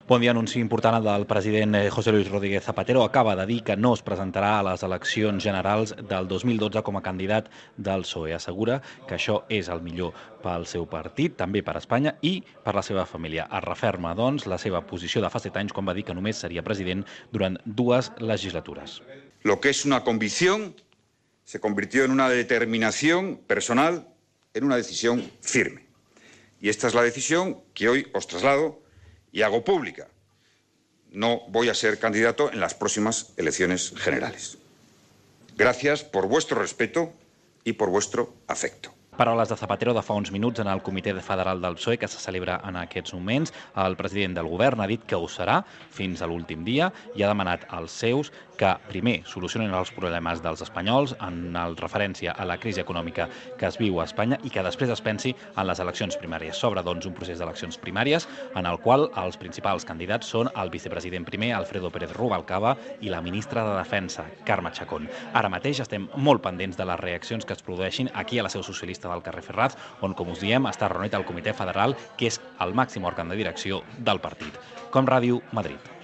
Bon dia, anunci important del president José Luis Rodríguez Zapatero. Acaba de dir que no es presentarà a les eleccions generals del 2012 com a candidat del PSOE. Assegura que això és el millor pel seu partit, també per Espanya i per la seva família. Es referma, doncs, la seva posició de fa 7 anys quan va dir que només seria president durant 2 legislatures. Lo que es una convicción se convirtió en una determinación personal, en una decisión firme. Y esta es la decisión que hoy os traslado y hago pública. No voy a ser candidato en las próximas elecciones generales. Gracias por vuestro respeto y por vuestro afecto. Paraules de Zapatero de fa uns minuts en el Comitè Federal del PSOE que se celebra en aquests moments. El president del govern ha dit que ho serà fins a l'últim dia i ha demanat als seus que primer solucionin els problemes dels espanyols en referència a la crisi econòmica que es viu a Espanya i que després es pensi en les eleccions primàries. S'obre, doncs, un procés d'eleccions primàries en el qual els principals candidats són el vicepresident primer, Alfredo Pérez Rubalcaba, i la ministra de Defensa, Carme Chacón. Ara mateix estem molt pendents de les reaccions que es produeixin aquí a la seu socialista del carrer Ferraz, on, com us diem, està reunit el Comitè Federal, que és el màxim òrgan de direcció del partit. Com Ràdio, Madrid.